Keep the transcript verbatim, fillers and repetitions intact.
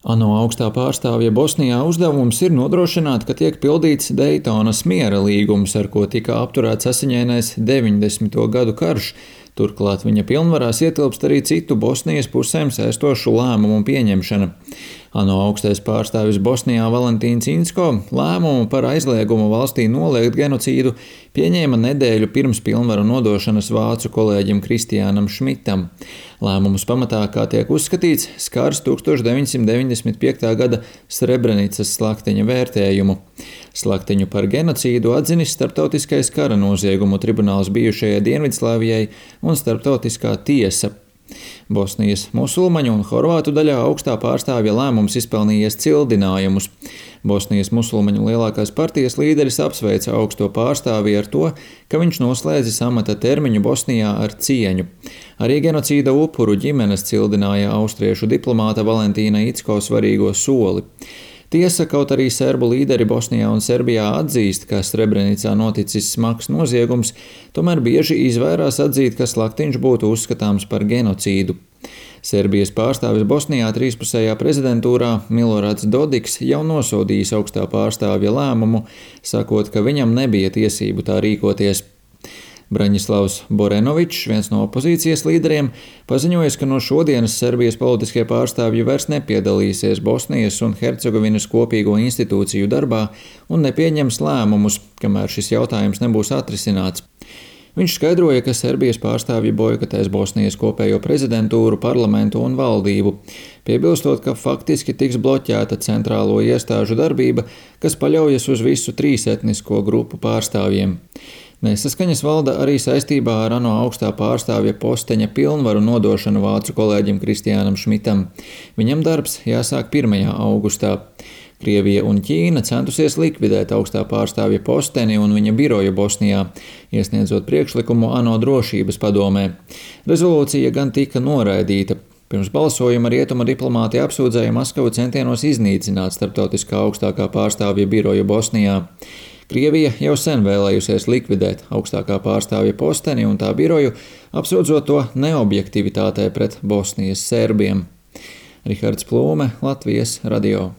ANO augstā pārstāvja Bosnijā uzdevums ir nodrošināt, ka tiek pildīts Daytonas miera līgums, ar ko tika apturēts asiņainais deviņdesmito gadu karš. Turklāt viņa pilnvarās ietilpst arī citu Bosnijas pusēm saistošu lēmumu pieņemšana. ANO augstais pārstāvis Bosnijā Valentīns Inzko lēmumu par aizliegumu valstī noliegt genocīdu pieņēma nedēļu pirms pilnvaru nodošanas vācu kolēģim Kristiānam Šmitam. Lēmumus pamatā, kā tiek uzskatīts, skars tūkstoš deviņsimt deviņdesmit piektā gada Srebrenicas slaktiņa vērtējumu. Slaktiņu par genocīdu atzinis Starptautiskais kara noziegumu tribunāls bijušajai Dienvidslāvijai un Starptautiskā tiesa. Bosnijas musulmaņu un horvātu daļā augstā pārstāvja lēmums izpelnījies cildinājumus. Bosnijas musulmaņu lielākās partijas līderis apsveica augsto pārstāvi ar to, ka viņš noslēdzis amata termiņu Bosnijā ar cieņu. Arī genocīda upuru ģimenes cildināja austriešu diplomāta Valentīna Incko svarīgo soli. Tiesa, kaut arī serbu līderi Bosnijā un Serbijā atzīst, ka Srebrenicā noticis smags noziegums, tomēr bieži izvairās atzīt, ka slaktiņš būtu uzskatāms par genocīdu. Serbijas pārstāvis Bosnijā trīspusējā prezidentūrā Milorāds Dodiks jau nosodījis augstā pārstāvja lēmumu, sakot, ka viņam nebija tiesību tā rīkoties. Braņislavs Borenovičs, viens no opozīcijas līderiem, paziņojis, ka no šodienas Serbijas politiskie pārstāvji vairs nepiedalīsies Bosnijas un Hercegovinas kopīgo institūciju darbā un nepieņems lēmumus, kamēr šis jautājums nebūs atrisināts. Viņš skaidroja, ka Serbijas pārstāvji bojkotēs Bosnijas kopējo prezidentūru, parlamentu un valdību, piebilstot, ka faktiski tiks bloķēta centrālo iestāžu darbība, kas paļaujas uz visu trīs etnisko grupu pārstāvjiem. Nesaskaņas valda arī saistībā ar ANO augstā pārstāvja posteņa pilnvaru nodošanu vācu kolēģim Kristiānam Šmitam. Viņam darbs jāsāk pirmajā augustā. Krievija un Ķīna centusies likvidēt augstā pārstāvja posteni un viņa biroju Bosnijā, iesniedzot priekšlikumu ANO drošības padomē. Rezolūcija gan tika noraidīta. Pirms balsojuma rietuma diplomāti apsūdzēja Maskavu centienos iznīcināt starptautiskā augstākā pārstāvja biroju Bosnijā. Krievija jau sen vēlējusies likvidēt augstākā pārstāvja posteni un tā biroju, apsūdzot to neobjektivitātē pret Bosnijas serbiem. Rihards Plūme, Latvijas radio.